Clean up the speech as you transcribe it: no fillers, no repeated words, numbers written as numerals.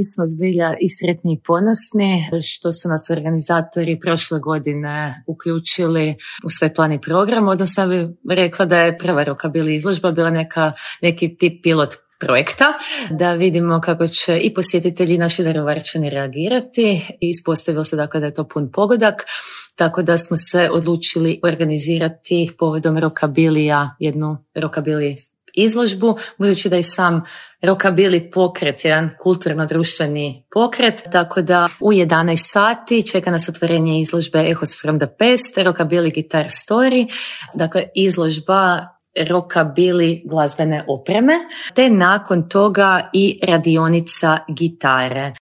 mi smo zbilja i sretni i ponosni što su nas organizatori prošle godine uključili u svoj plan i program, odnosno bih rekla da je prva rockabilly izložba bila neki tip pilot projekta, da vidimo kako će i posjetitelji i naši Daruvarčani reagirati i ispostavilo se dakle da je to pun pogodak, tako da smo se odlučili organizirati povodom rockabilija jednu rockabilly izložbu, budući da i sam rockabilly pokret, jedan kulturno-društveni pokret, tako da u 11 sati čeka nas otvorenje izložbe Echoes from the Past, rockabilly guitar story, dakle izložba rockabilly glazbene opreme, te nakon toga i radionica gitare.